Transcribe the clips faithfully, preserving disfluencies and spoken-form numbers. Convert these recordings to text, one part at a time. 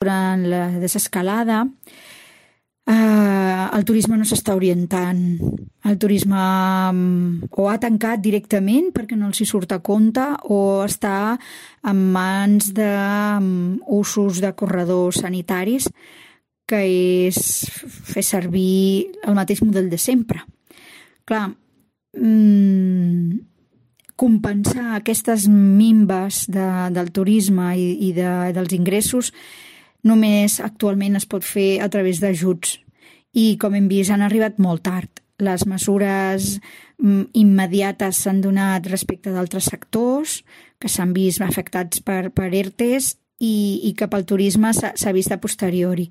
durant la desescalada, eh, el turisme no s'està orientant. El turisme o ha tancat directament perquè no els hi surt a compte o està en mans d'usos de corredors sanitaris, que és fer servir el mateix model de sempre. Clar, mmm, compensar aquestes minves de, del turisme i, i de, dels ingressos només actualment es pot fer a través d'ajuts i, com hem vist, han arribat molt tard. Les mesures immediates s'han donat respecte d'altres sectors que s'han vist afectats per, per ERTEs i, i cap al turisme s'ha vist a posteriori.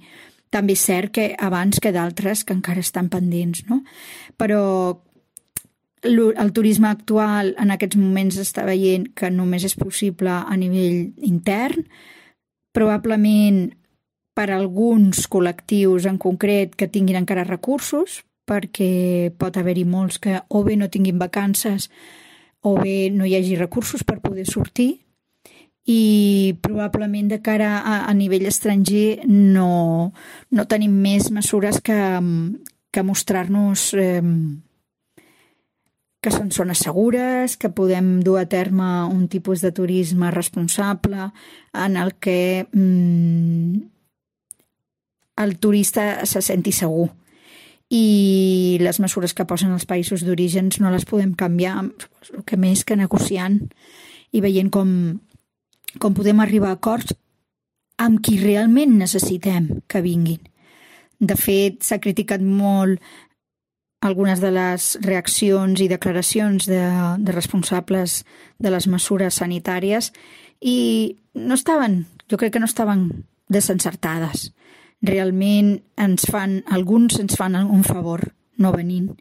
També és cert que abans que d'altres que encara estan pendents, no? Però el turisme actual en aquests moments està veient que només és possible a nivell intern, probablement per alguns col·lectius en concret que tinguin encara recursos, perquè pot haver-hi molts que o bé no tinguin vacances o bé no hi hagi recursos per poder sortir, i probablement de cara a, a nivell estranger no, no tenim més mesures que, que mostrar-nos eh, que són zones segures, que podem dur a terme un tipus de turisme responsable en el que mm, el turista se senti segur. I les mesures que posen els països d'orígens no les podem canviar, el que més que negociant i veient com, com podem arribar a acords amb qui realment necessitem que vinguin. De fet, s'ha criticat molt algunes de les reaccions i declaracions de, de responsables de les mesures sanitàries i no estaven, jo crec que no estaven desencertades. Realment ens fan, alguns ens fan un favor no venint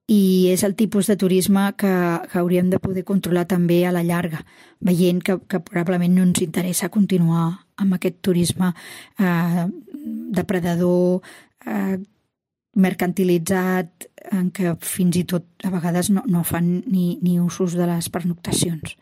i és el tipus de turisme que, que hauríem de poder controlar també a la llarga, veient que, que probablement no ens interessa continuar amb aquest turisme eh, depredador, eh, mercantilitzat, en què fins i tot a vegades no, no fan ni, ni usos de les pernoctacions.